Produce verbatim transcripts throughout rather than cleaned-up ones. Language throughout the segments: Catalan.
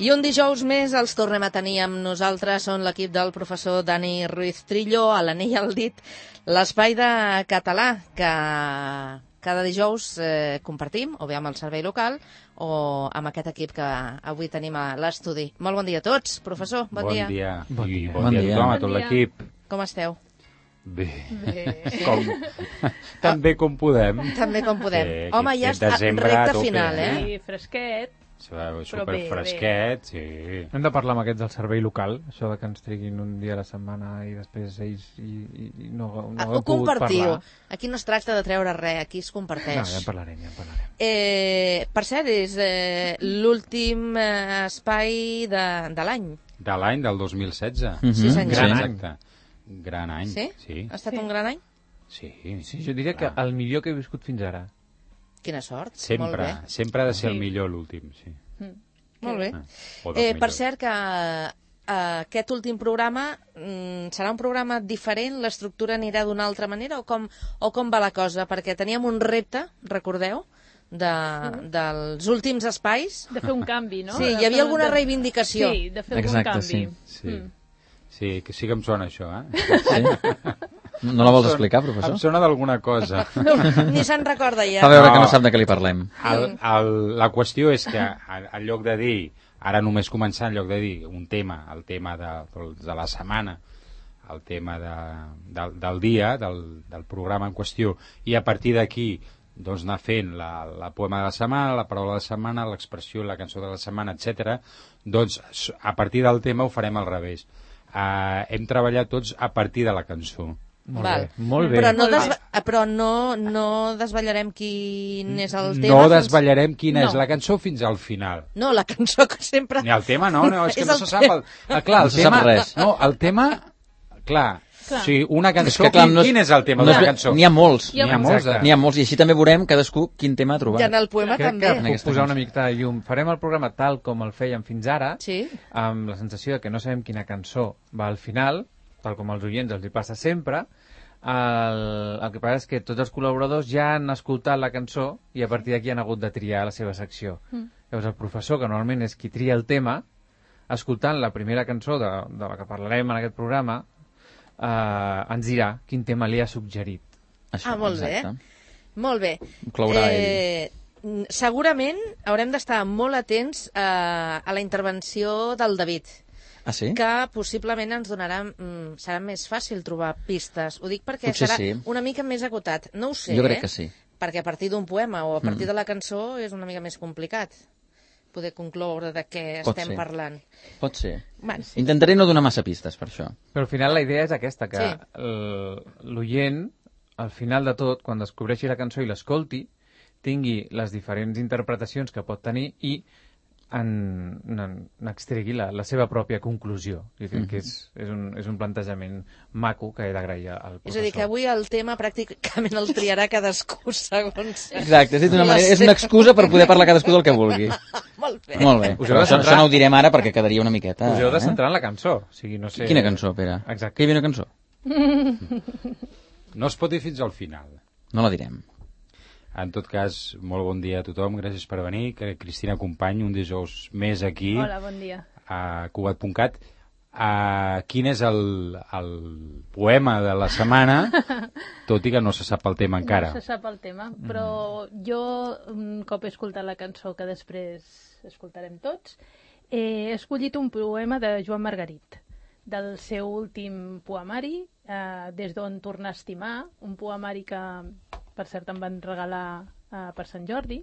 I un dijous més els tornem a tenir amb nosaltres. Són l'equip del professor Dani Ruiz Trillo, a l'anell al dit, l'espai de català que cada dijous eh, compartim, o bé amb el servei local o amb aquest equip que avui tenim a l'estudi. Molt bon dia a tots, professor, bon, bon dia. dia. Bon dia. I bon, bon dia a tothom, a tot l'equip. Com esteu? Bé. Bé. Com... Tan bé com podem. Tan bé com podem. Sí, Home, ja està recta final, eh? Sí, fresquet. Super fresquet, sí. Hem de parlar amb aquests del servei local, això de que ens triguin un dia a la setmana i després ells i, i, i no, no ah, hem pogut compartiu. Parlar. Aquí no es tracta de treure res, aquí es comparteix. No, ja en parlarem, ja en parlarem. Eh, per cert, és eh, l'últim eh, espai de, de l'any. De l'any, del dos mil setze. Mm-hmm. Sí, senyor. Gran sí, any. Gran any. Sí? Sí? Ha estat sí. un gran any? Sí. Sí, jo diria que el millor que he viscut fins ara. Quina sort. Sempre, Molt bé. sempre ha de ser Sí. el millor l'últim, sí. Mm. Molt bé. Ah, o dels Eh, per millors. cert que eh, aquest últim programa mm, serà un programa diferent, l'estructura anirà d'una altra manera o com, o com va la cosa? Perquè teníem un repte, recordeu, de, dels últims espais. De fer un canvi, no? Sí, De hi havia fer- alguna de- reivindicació. Sí, de fer Exacte, algun canvi. sí. Sí. Mm. Sí, que sí que em sona això, eh? Sí? No la vols explicar, professor? Em sona d'alguna cosa. Ni se'n recorda ja. Fa veure que No. no sap de què li parlem. El, el, la qüestió és que en lloc de dir, ara només començar, en lloc de dir un tema, el tema de, de la setmana, el tema de, del, del dia, del, del programa en qüestió, i a partir d'aquí doncs anar fent la, la poema de la setmana, la paraula de la setmana, l'expressió, la cançó de la setmana, etcètera. Doncs a partir del tema ho farem al revés. Uh, hem treballat tots a partir de la cançó. Molt Val. bé, molt bé. Però no, Molt bé. desva però no, no desvetllarem quin és el tema. No fins- desvetllarem quina No. és la cançó fins al final. No, la cançó que sempre... Ni el tema, no, no, és que És no el se sap. El, ah, clar, el No se tema, sap res. No, el tema, clar, Clar. o sigui, una cançó, És que, clar, quin, no és- quin és el tema No de és la bé- cançó? N'hi ha molts. Hi ha N'hi ha molts. Exacte. eh? N'hi ha molts, i així també veurem cadascú quin tema ha trobat. I en el poema Crec també. que En puc aquesta posar una cançó. mica de llum. Farem el programa tal com el fèiem fins ara, Sí. amb la sensació de que no sabem quina cançó va al final, tal com als oients els hi passa sempre. El, el que passa és que tots els col·laboradors ja han escoltat la cançó i a partir d'aquí han hagut de triar la seva secció. Mm. Llavors el professor, que normalment és qui tria el tema, escoltant la primera cançó de, de la que parlarem en aquest programa, eh, ens dirà quin tema li ha suggerit. Això, Ah, molt bé. exacte. Molt bé. Clourà eh, segurament haurem d'estar molt atents eh, a la intervenció del David, Ah, sí? que possiblement ens donarà... Mm, serà més fàcil trobar pistes. Ho dic perquè Potser serà sí. una mica més acotat. No ho sé, Jo crec eh? que sí. Perquè a partir d'un poema o a partir Mm. de la cançó és una mica més complicat poder concloure de què Pot estem ser. parlant. Pot ser. Bueno, Intentaré no donar massa pistes, per això. Però al final la idea és aquesta, que Sí. el- l'oient, al final de tot, quan descobreixi la cançó i l'escolti, tingui les diferents interpretacions que pot tenir i en, en, n'extregui la, la seva pròpia conclusió. Jo crec que és, és, un, és un plantejament maco que he d'agrair al professor. és a dir, que avui el tema pràcticament el triarà cadascú segons... Exacte, és, a dir, d'una La manera, és seva- una excusa per poder parlar cadascú del que vulgui. Molt bé. Molt bé. Us heu Però de això, centrar- això no ho direm ara perquè quedaria una miqueta... Us heu de eh? centrar en la cançó. O sigui, no sé... Quina cançó, Pere? Exacte. Que hi havia una cançó? No es pot dir fins al final. No la direm. En tot cas, molt bon dia a tothom, gràcies per venir. Que Cristina Company, un dijous més aquí, Hola, bon dia. a cugat punt cat. Uh, quin és el, el poema de la setmana, tot i que no se sap el tema encara. No se sap el tema, però jo, un cop he escoltat la cançó que després escoltarem tots, he escollit un poema de Joan Margarit, del seu últim poemari, eh, Des d'on tornar a estimar, un poemari que, per cert, em van regalar eh, per Sant Jordi.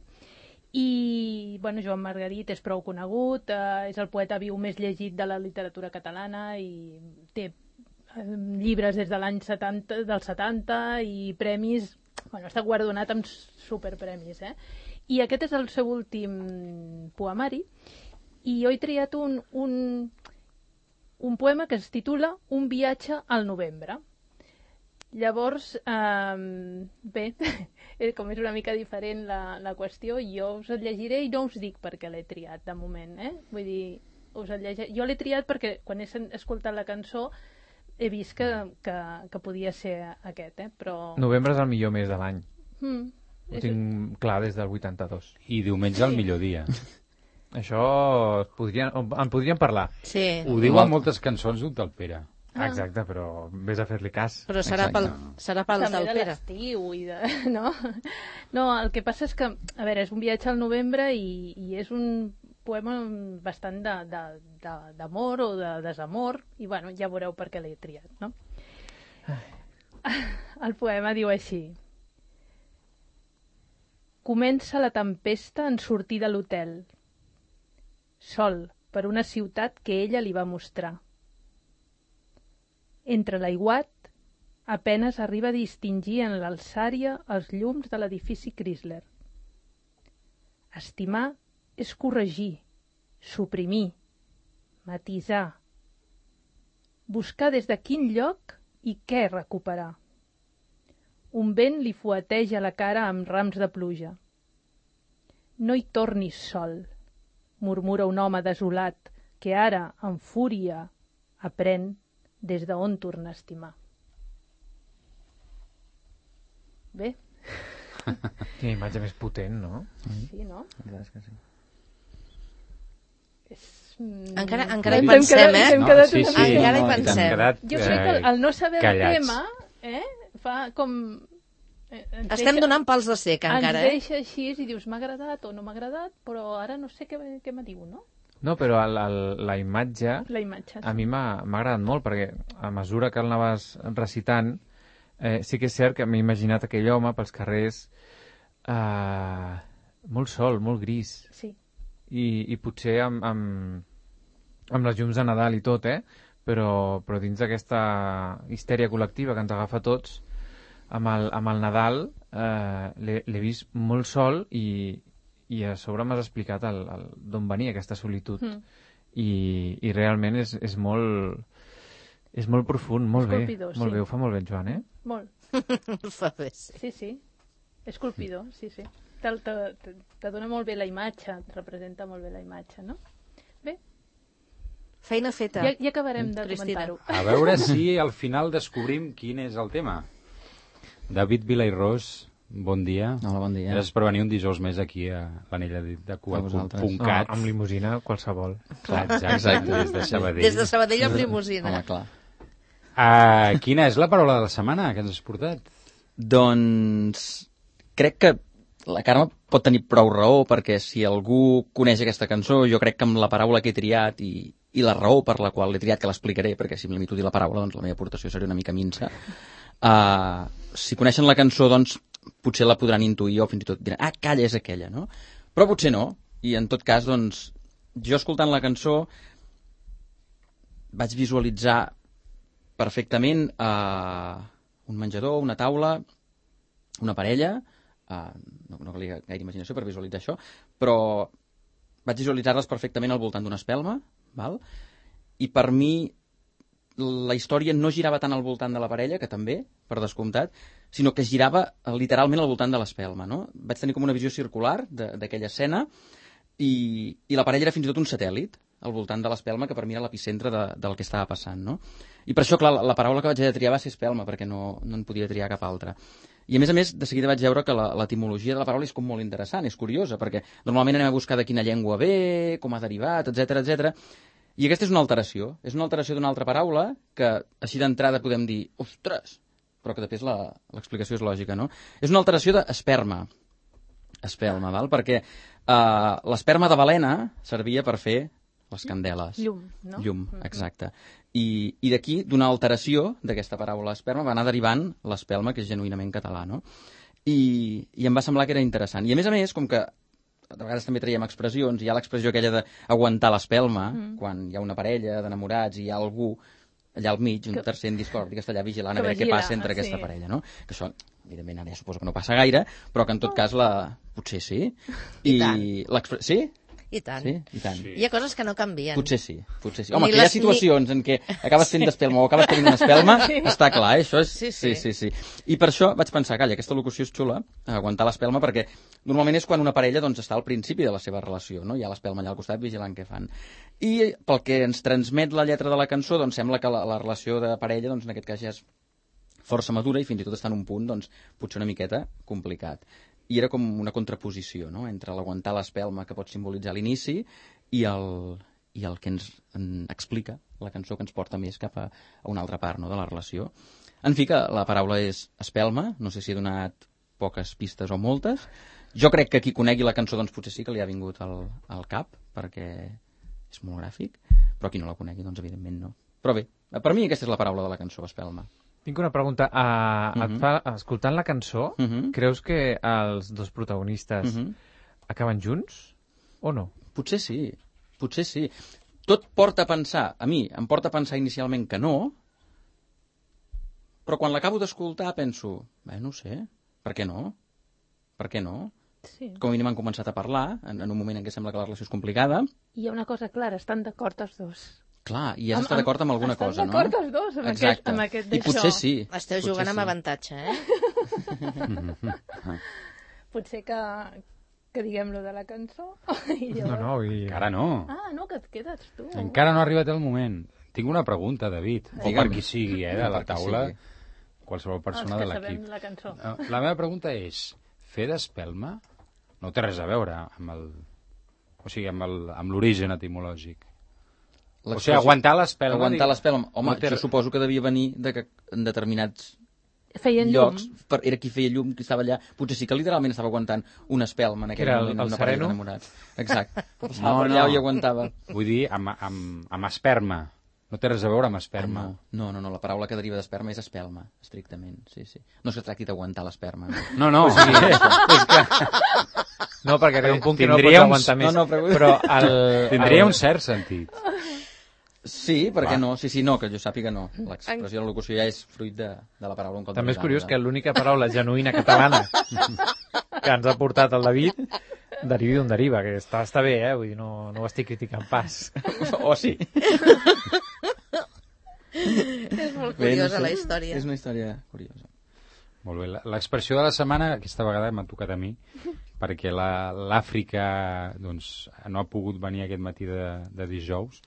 I, bueno, Joan Margarit és prou conegut, eh, és el poeta viu més llegit de la literatura catalana i té eh, llibres des de l'any setanta, del setanta i premis, bueno, està guardonat amb superpremis, eh? I aquest és el seu últim poemari i jo he triat un, un, un poema que es titula Un viatge al novembre. Llavors, eh, bé, com és una mica diferent la, la qüestió, jo us el llegiré i no us dic per què l'he triat de moment, eh? Vull dir, us el llegiré. Jo l'he triat perquè quan he escoltat la cançó he vist que, que, que podia ser aquest, eh? Però... Novembre és el millor mes de l'any. Mm, Ho és... tinc clar des del vuitanta-dos. I diumenge el millor dia. Això es podrien, en podríem parlar. Sí, Ho diuen moltes cançons d'un tal Pere. Ah. Exacte, però vés a fer-li cas. però serà pel, serà pel També del de Pere. l'estiu i de... No? No, el que passa és que, a veure, és un viatge al novembre i, i és un poema bastant de- de- de- d'amor o de desamor i, bueno, ja veureu per què l'he triat, no? El poema diu així: comença la tempesta en sortir de l'hotel, sol per una ciutat que ella li va mostrar. Entre l'aiguat, apenes arriba a distingir en l'alçària els llums de l'edifici Chrysler. Estimar és corregir, suprimir, matisar, buscar des de quin lloc i què recuperar. Un vent li fueteja la cara amb rams de pluja. No hi tornis sol, murmura un home desolat que ara, en fúria, aprèn des d'on tornar a estimar. Bé, Quina imatge més potent, no? sí, no? La veritat és que sí. És... mm, Encara, encara hi Hem pensem, quedat- eh? hem quedat sí, una sí, mica- Encara hi no, i tant. pensem. Hem quedat, Jo crec que el, el no saber callats. el tema eh, fa com... eh, ens Estem deixa- donant pals de sec encara, ens eh? deixa així i dius m'ha agradat o no m'ha agradat, però ara no sé què, què me diu, no? No, però el, el, la imatge La imatge. a mi m'ha m'ha agradat molt perquè a mesura que el anaves recitant eh, sí que és cert que m'he imaginat aquell home pels carrers eh, molt sol, molt gris Sí. i, i potser amb, amb, amb les llums de Nadal i tot, eh? però, però dins d'aquesta histèria col·lectiva que ens agafa a tots amb el, amb el Nadal eh, l'he l'he vist molt sol i, i a sobre m'has explicat el, el, d'on venia aquesta solitud Mm. i, i realment és, és molt és molt profund, molt bé, Colpidor, molt sí. bé, ho fa molt bé el Joan, eh? Molt. Fa bé, sí. Sí, sí. És colpidor, sí, sí. Te, te, te, te dona molt bé la imatge, et representa molt bé la imatge, no? Bé, Feina feta. ja, ja acabarem de Cristina. comentar-ho. A veure si al final descobrim quin és el tema. David Vilairós, bon dia. Hola, bon dia. Gràcies per venir un dijous més aquí a l'anella de A vosaltres. No, Cugat. amb limusina qualsevol. Clar, exacte, Exacte. des de Sabadell. Des de Sabadell amb limusina. Home, clar. Uh, quina és la paraula de la setmana que ens has portat? Doncs crec que la Carme pot tenir prou raó, perquè si algú coneix aquesta cançó, jo crec que amb la paraula que he triat i, i la raó per la qual l'he triat, que l'explicaré, perquè si em limito a dir la paraula, doncs la meva aportació seria una mica minsa. Uh, si coneixen la cançó, doncs potser la podran intuir o fins i tot diran, ah, calla, és aquella, no? Però potser no, i en tot cas, doncs, jo escoltant la cançó vaig visualitzar perfectament uh, un menjador, una taula, una parella, uh, no, no calia gaire imaginació per visualitzar això, però vaig visualitzar-les perfectament al voltant d'una espelma, val? I per mi la història no girava tant al voltant de la parella, que també, per descomptat, sinó que girava eh, literalment al voltant de l'espelma, no? Vaig tenir com una visió circular de- d'aquella escena i, i la parella era fins i tot un satèl·lit al voltant de l'espelma, que per mi era l'epicentre de, del que estava passant, no? I per això, clar, la, la paraula que vaig haver de triar va ser espelma, perquè no, no en podia triar cap altra. I a més a més, de seguida vaig veure que la- l'etimologia de la paraula és com molt interessant, és curiosa, perquè normalment anem a buscar de quina llengua ve, com ha derivat, etc etc. I aquesta és una alteració, és una alteració d'una altra paraula que així d'entrada podem dir, ostres, però que després la- l'explicació és lògica, no? És una alteració d'esperma, espelma, val? Perquè eh, l'esperma de balena servia per fer les candeles. Llum, no? Llum, exacte. I, i d'aquí, d'una alteració d'aquesta paraula esperma, va anar derivant l'espelma, que és genuïnament català, no? I, I em va semblar que era interessant. I a més a més, com que de vegades també traiem expressions, hi ha l'expressió aquella d'aguantar l'espelma, mm. quan hi ha una parella d'enamorats i hi ha algú allà al mig, un Que- tercer en discordi, que està allà vigilant a que veure què vigila, passa entre sí. aquesta parella, no? Que això, evidentment, ara ja suposo que no passa gaire, però que en tot cas la... potser sí. I tant. l'expre- Sí? I tant. Sí? I tant. Sí. Hi ha coses que no canvien. Potser sí, potser sí. Ni Home, que hi ha les- situacions en què acabes fent d'espelma o acabes tenint una espelma, està clar, eh? Això és... Sí, sí. sí, sí, sí. I per això vaig pensar, calla, aquesta locució és xula, aguantar l'espelma, perquè normalment és quan una parella doncs, està al principi de la seva relació, no? Hi ha l'espelma allà al costat vigilant què fan. I pel que ens transmet la lletra de la cançó, doncs sembla que la, la relació de parella, doncs en aquest cas ja és força madura i fins i tot està en un punt, doncs, potser una miqueta complicat. i era com una contraposició, no?, entre l'aguantar l'espelma que pot simbolitzar l'inici i el, i el que ens en explica la cançó, que ens porta més cap a, a una altra part, no?, de la relació. En fi, que la paraula és espelma, no sé si he donat poques pistes o moltes. Jo crec que qui conegui la cançó doncs potser sí que li ha vingut al, al cap, perquè és molt gràfic, però qui no la conegui doncs evidentment no. Però bé, per mi aquesta és la paraula de la cançó, espelma. Tinc una pregunta. Uh, Uh-huh. et fa, escoltant la cançó, Uh-huh. creus que els dos protagonistes Uh-huh. acaben junts o no? Potser sí, potser sí. Tot porta a pensar, a mi em porta a pensar inicialment que no, però quan l'acabo d'escoltar penso, bé, no ho sé, per què no? Per què no? Sí. Com a mínim han començat a parlar, en, en un moment en què sembla que la relació és complicada. Hi ha una cosa clara, estan d'acord els dos. Clar, i has d'estar d'acord amb alguna cosa, no? Estan d'acord els dos amb aquest, Exacte. amb aquest I d'això. potser sí. Esteu potser jugant amb sí. avantatge, eh? Potser que, que diguem lo de la cançó. I No, llavors... no, i... Encara no. Ah, no, que et quedes tu. Encara no ha arribat el moment. Tinc una pregunta, David, o Digue'm. per qui sigui, eh, de la Per qui taula, sigui. qualsevol persona Els de que l'equip. sabem la cançó. Eh, La meva pregunta és, fer d'espelma no té res a veure amb el... O sigui, amb el- amb l'origen etimològic. O sigui, aguantar l'espelma... Aguantar dic- l'espelma. Home, no té jo re- suposo que devia venir de que en determinats Feien llum. llocs, per, era qui feia llum, qui estava allà, potser sí que literalment estava aguantant una espelma en aquell Era el- moment, el una parella sereno? d'enamorats. Exacte. Passava No, per allà no. i aguantava. Vull dir, amb, amb, amb esperma. No té res a veure amb esperma. Ah, no. no, no, no, la paraula que deriva d'esperma és espelma, estrictament, sí, sí. No es que tracti d'aguantar l'esperma. No. No, no, o sigui, és que No, perquè arriba un punt que no pots Tindria uns- aguantar més. no, no, però- però el, tindria el... un cert sentit. Sí, per què Va. no? Sí, sí, no, que jo sàpiga no. L'expressió de la locució ja és fruit de, de la paraula un cop També és de curiós nosaltres. que l'única paraula genuïna catalana que ens ha portat el David derivi d'on deriva, que està, està bé, eh? Vull dir, no, no ho estic criticant pas. O sí. És molt Bé, no curiosa sé. la història. És una història curiosa. Molt bé. La- L'expressió de la setmana, aquesta vegada m'ha tocat a mi, perquè la- l'Àfrica doncs, no ha pogut venir aquest matí de, de dijous,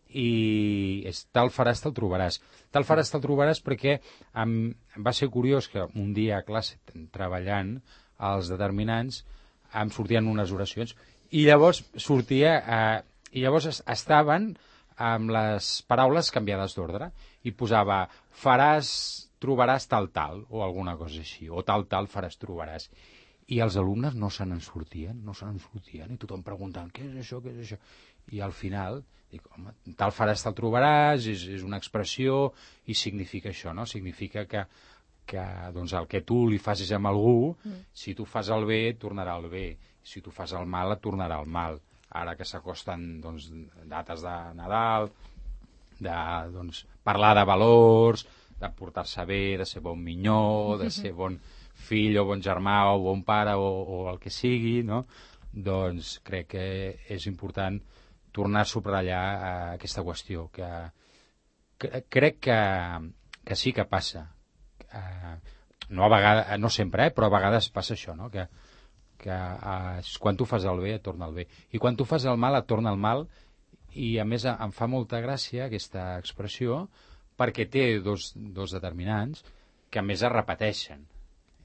i és tal faràs, te'l trobaràs. Tal faràs, te'l trobaràs perquè em, va ser curiós que un dia a classe, treballant, els determinants, em sortien unes oracions, i llavors sortia... Eh, i llavors es- estaven amb les paraules canviades d'ordre, i posava faràs, trobaràs tal tal, o alguna cosa així, o tal tal faràs, trobaràs. I els alumnes no se n'en sortien, no se n'en sortien, i tothom preguntant què és això, què és això. I al final, dic, home, tal faràs, tal trobaràs, és, és una expressió, i significa això, no? Significa que, que doncs, el que tu li facis amb algú, mm. si tu fas el bé, et tornarà el bé. Si tu fas el mal, et tornarà el mal. Ara que s'acosten doncs, dates de Nadal, de doncs, parlar de valors, de portar-se bé, de ser bon minyó, de ser bon fill o bon germà o bon pare o, o el que sigui, no? Doncs crec que és important tornar a subratllar eh, aquesta qüestió, que, que crec que, que sí que passa. Eh, no, a vegades, no sempre, eh, però a vegades passa això, no? que, que eh, quan tu fas el bé et torna el bé, i quan tu fas el mal et torna el mal, i a més em fa molta gràcia aquesta expressió perquè té dos, dos determinants que a més es repeteixen,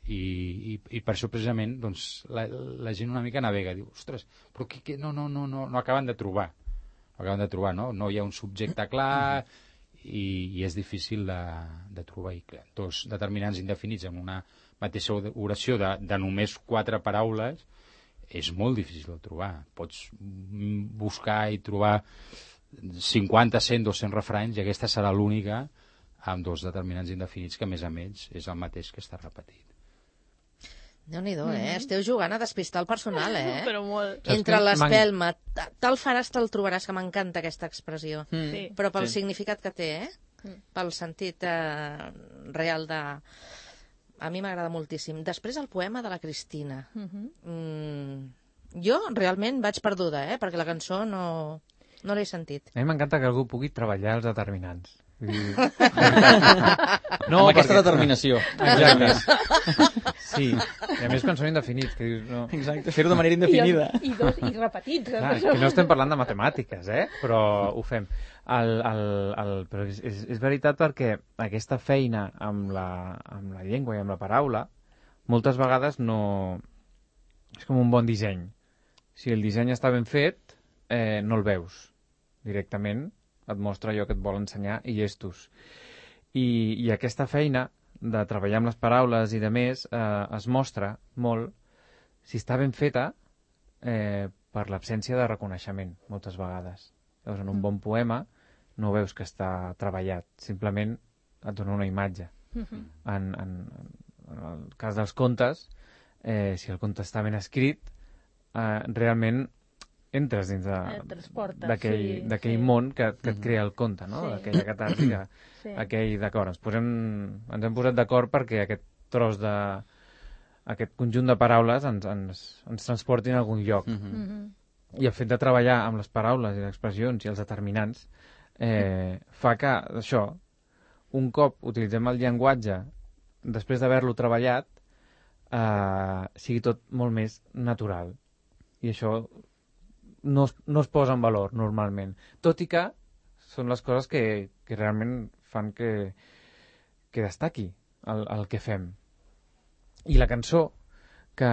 i, i, i per això precisament doncs, la, la gent una mica navega, diu, ostres, però que, que, no, no, no, no, no acaben de trobar no acaben de trobar, no? No hi ha un subjecte clar, i, i és difícil de, de trobar, i clar, dos determinants indefinits en una mateixa oració de, de només quatre paraules és molt difícil de trobar. Pots buscar i trobar cinquanta, cent, dos-cents refranys, i aquesta serà l'única amb dos determinants indefinits que, a més a més, és el mateix que està repetit. Déu-n'hi-do, eh? Esteu jugant a despistar el personal, eh? Però molt. Entre Saps que l'espelma, ta- tal faràs, te'l trobaràs, que m'encanta aquesta expressió. Mm. Sí. Però pel Sí. significat que té, eh? Mm. Pel sentit eh, real de... A mi m'agrada moltíssim. Després el poema de la Cristina. Mhm. Mm, jo realment vaig perduda, eh? Perquè la cançó no, no l'he sentit. A mi m'encanta que algú pugui treballar els determinants. Vull dir... No, amb aquesta determinació. Exacte. Sí, i a més quan són indefinits, que dius... No... Exacte, fer-ho de manera I, indefinida. i, dos, i repetits. Eh? Clar, és que no estem parlant de matemàtiques, eh? Però ho fem. El, el, el, però és, és, és veritat perquè aquesta feina amb la, amb la llengua i amb la paraula moltes vegades no, és com un bon disseny. Si el disseny està ben fet, eh, no el veus directament, et mostra allò que et vol ensenyar i llestos. I, i aquesta feina de treballar amb les paraules i de més eh, es mostra molt si està ben feta eh, per l'absència de reconeixement, moltes vegades. Llavors, en un bon poema no veus que està treballat, simplement et dona una imatge. Uh-huh. En, en, en el cas dels contes, eh, si el conte està ben escrit, eh, realment entres dins d'aquell sí, sí. món que, que et crea el conte, no? Sí. Aquella catàrtica. Sí. Aquell, d'acord, ens, posem, ens hem posat d'acord perquè aquest tros de... aquest conjunt de paraules ens, ens, ens transportin a algun lloc. Uh-huh. Uh-huh. I el fet de treballar amb les paraules i les expressions i els determinants eh, fa que, això, un cop utilitzem el llenguatge, després d'haver-lo treballat, eh, sigui tot molt més natural. I això no es, no es posa en valor, normalment. Tot i que són les coses que, que realment fan que, que destaqui el, el que fem. I la cançó que,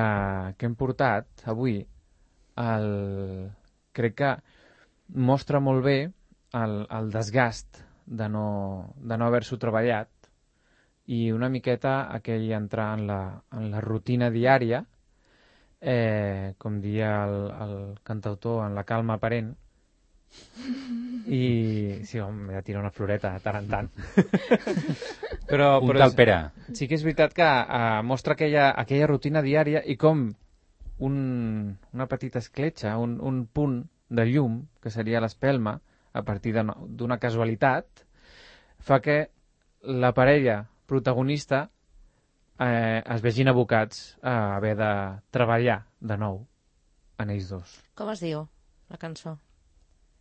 que hem portat avui el, crec que mostra molt bé el, el desgast de no, de no haver-s'ho treballat i una miqueta aquell entrar en la, en la rutina diària, eh, com dia el, el cantautor, en la calma aparent, i sí, home, ja tira una floreta de tant en tant. però, un però tal Pere. Sí que és veritat que eh, mostra aquella, aquella rutina diària i com un, una petita escletxa, un, un punt de llum, que seria l'espelma, a partir d'una casualitat, fa que la parella protagonista eh, es vegin abocats a haver de treballar de nou en ells dos. Com es diu la cançó?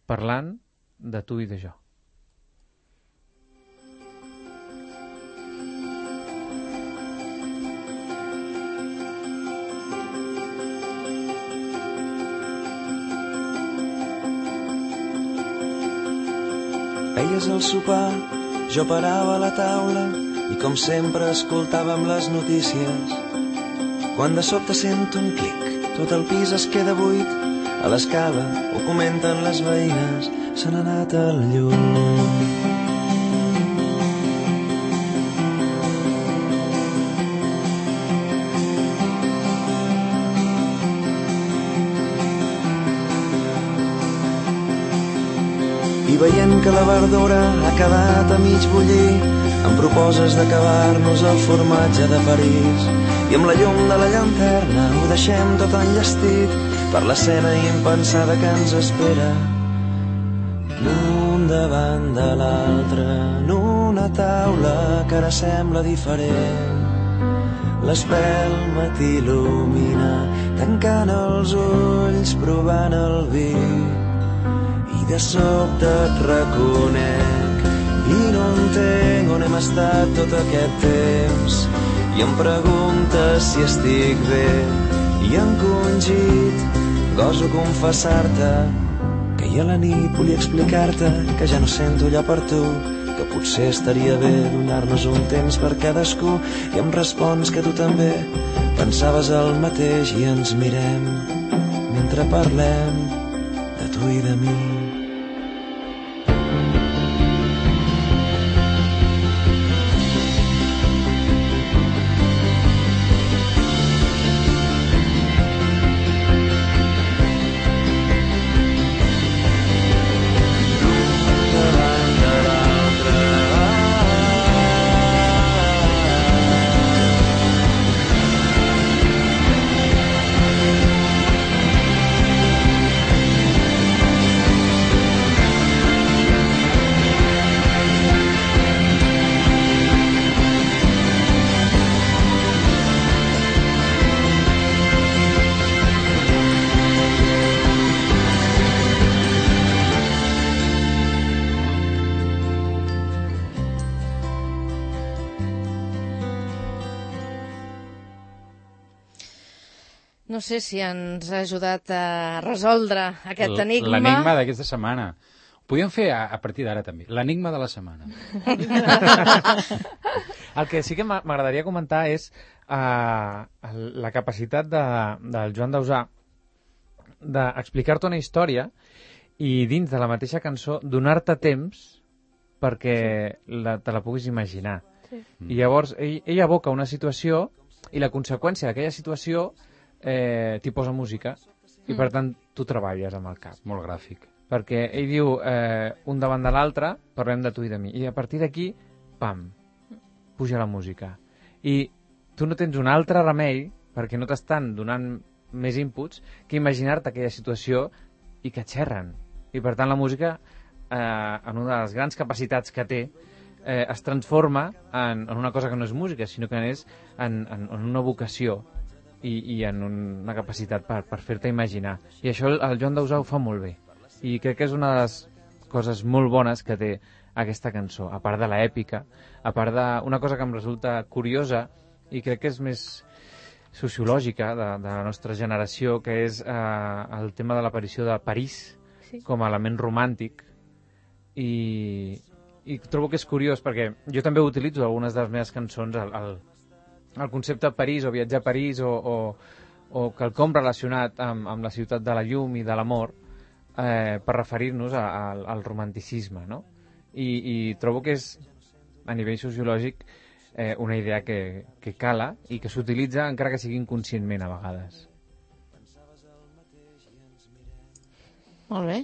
Parlant de tu i de jo. Feies el sopar, jo parava a la taula i com sempre escoltàvem les notícies. Quan de sobte sento un clic, tot el pis es queda buit, a l'escala ho comenten les veïnes, se n'ha anat el llum. I veient que la verdura ha quedat a mig bullir, em proposes d'acabar-nos el formatge de París. I amb la llum de la llanterna ho deixem tot enllestit per l'escena impensada que ens espera. L'un davant de l'altre, en una taula que ara sembla diferent. L'espelma t'il·lumina, tancant els ulls, provant el vi. I de sobte et reconec i no entenc on hem estat tot aquest temps. I em preguntes si estic bé i encongit goso confessar-te que ahir a la nit volia explicar-te que ja no sento allò per tu, que potser estaria bé donar-nos un temps per cadascú. I em respons que tu també pensaves el mateix i ens mirem mentre parlem de tu i de mi. No sé si ens ha ajudat a resoldre aquest enigma. L'enigma d'aquesta setmana. Ho podíem fer a, a partir d'ara també. L'enigma de la setmana. El que sí que m'a- m'agradaria comentar és uh, la capacitat de, del Joan Dausà d'explicar-te una història i dins de la mateixa cançó donar-te temps perquè la, te la puguis imaginar. Sí. I llavors ell, ell aboca una situació i la conseqüència d'aquella situació eh, t'hi posa música i per tant tu treballes amb el cap. Molt gràfic. Perquè ell diu eh, un davant de l'altre, parlem de tu i de mi, i a partir d'aquí, pam, puja la música. I tu no tens un altre remei, perquè no t'estan donant més inputs, que imaginar-te aquella situació i que xerren. I per tant la música, eh, en una de les grans capacitats que té, eh, es transforma en, en una cosa que no és música, sinó que és en, en, en una vocació i, i en una capacitat per, per fer-te imaginar. I això el, el Joan Dausà ho fa molt bé. I crec que és una de les coses molt bones que té aquesta cançó, a part de l'èpica, a part d'una cosa que em resulta curiosa i crec que és més sociològica de, de la nostra generació, que és eh, el tema de l'aparició de París Sí. com a element romàntic i, i trobo que és curiós perquè jo també utilitzo algunes de les meves cançons el, el, el concepte París o viatjar a París o, o, o quelcom relacionat amb, amb la ciutat de la llum i de l'amor eh, per referir-nos a, a, al romanticisme, no? I, i trobo que és a nivell sociològic eh, una idea que, que cala i que s'utilitza encara que sigui inconscientment a vegades. Molt bé.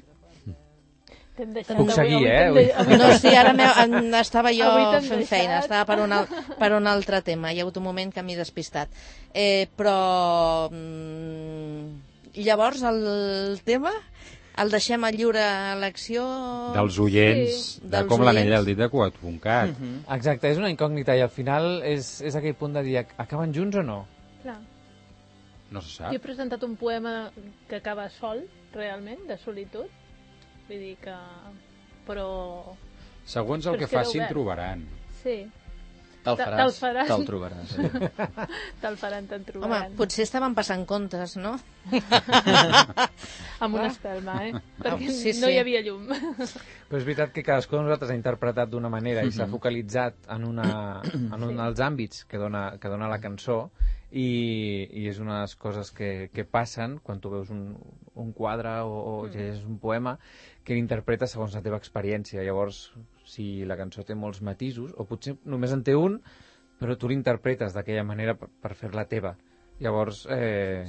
T'hem deixat Puc avui- seguir, avui eh? t'hem Avui- de- avui No, sí, ara m'he- estava jo Avui t'hem fent deixat. feina, estava per un, al, per un altre tema. Hi ha hagut un moment que m'he despistat. Eh, però... Mm, llavors, el tema el deixem a lliure elecció... Dels oients, Sí. de Dels com l'anell oients. al dit de Cugat punt cat. Exacte, és una incògnita i al final és, és aquell punt de dir acaben junts o no? Clar. No se Jo sap. he presentat un poema que acaba sol, realment, de solitud. Vull dir que... Però... Segons el Però que es queda facin, obert. trobaran. Sí, Te'l Te- faràs, te'l faràs. te'l trobaràs. Sí. te'l faran, te'n Home, trobaran. potser estaven passant comptes, no? Amb una espelma, eh? Perquè sí, no sí. hi havia llum. Però és veritat que cadascú de nosaltres ha interpretat d'una manera i s'ha focalitzat en, una, en un dels àmbits que dona, que dona la cançó i, i és una de les coses que, que passen quan tu veus un, un quadre o, o llegeixes un poema que l'interpretes segons la teva experiència. Llavors, si la cançó té molts matisos, o potser només en té un, però tu l'interpretes d'aquella manera per, per fer-la teva. Llavors, eh,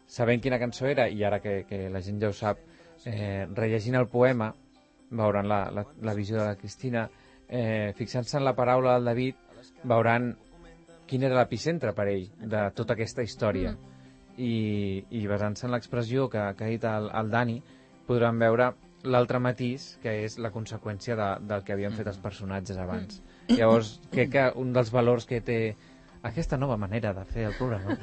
sabent quina cançó era, i ara que, que la gent ja ho sap, eh, rellegint el poema, veuran la, la, la visió de la Cristina, eh, fixant-se en la paraula del David, veuran quin era l'epicentre per ell de tota aquesta història. Mm. I, i basant-se en l'expressió que, que ha dit el, el Dani, podran veure l'altre matís, que és la conseqüència de, del que havien fet els personatges abans. Mm. Llavors, crec que un dels valors que té aquesta nova manera de fer el programa...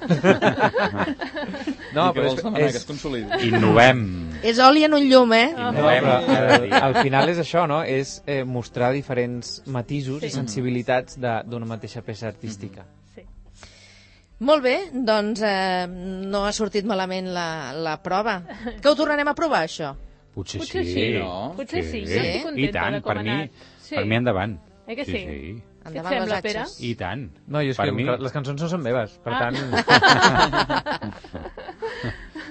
No, I que vols demanar que es consolidi. Innovem. És oli en un llum, eh? No, però eh, al final és això, no? És eh, mostrar diferents matisos Sí. i sensibilitats de- d'una mateixa peça artística. Sí. Molt bé, doncs eh, no ha sortit malament la, la prova. Que ho tornarem a provar, això? Potser, Potser sí. sí, no? Potser sí, Sí. jo estic I contenta tant, de com per ha mi, anat. Sí. per mi endavant. Eh que sí? Sí, sí. Què et Endavant sembla, les Pere? atxes. I tant. No, jo és Per que mi- les cançons no són meves, per Ah. tant...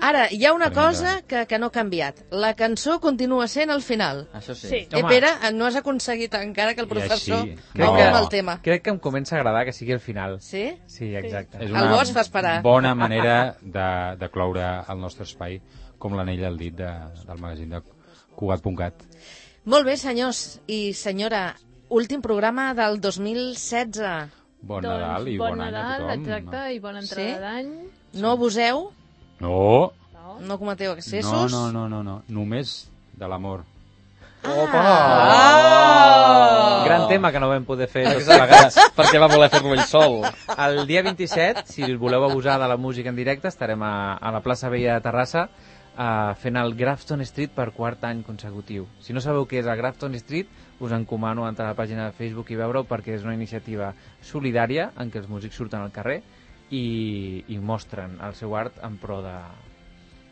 Ara, hi ha una Per mi cosa endavant. que, que no ha canviat. La cançó continua sent al final. Això sí. Sí. Eh, Home. Pere, no has aconseguit encara que el I professor així, Crec no. que- amb el tema. Crec que em comença a agradar que sigui al final. Sí? Sí, exacte. És El una bo es fa esperar. bona manera de, de cloure el nostre espai com l'anell al dit de, del magazín de Cugat punt cat. Molt bé, senyors i senyora. Últim programa del dos mil setze. Bon Doncs, Nadal i bon bon, any a Nadal, tothom. exacte, i bona entrada Sí? d'any. No abuseu, No, No? no cometeu no, excessos. no, no, no, no. Només de l'amor. Ah! Gran tema que no vam poder fer tots Exacte, plegats. perquè va voler fer-lo ell sol. El dia vint-i-set, si voleu abusar de la música en directe, estarem a, a la plaça Vella de Terrassa uh, fent el Grafton Street per quart any consecutiu. Si no sabeu què és el Grafton Street, us encomano a entrar a la pàgina de Facebook i veure-ho, perquè és una iniciativa solidària en què els músics surten al carrer i, i mostren el seu art en pro de-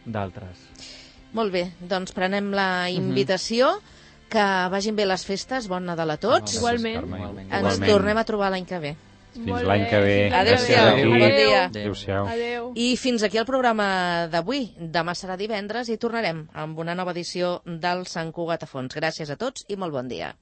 d'altres. Molt bé, doncs prenem la invitació que vagin bé les festes, bon Nadal a tots. Igualment. Igualment. Ens Igualment. tornem a trobar l'any que ve. Fins l'any que ve. Adéu-siau, Gràcies a bon tu. dia. Adéu-siau. Adéu. I fins aquí el programa d'avui. Demà serà divendres i tornarem amb una nova edició del Sant Cugat a Fons. Gràcies a tots i molt bon dia.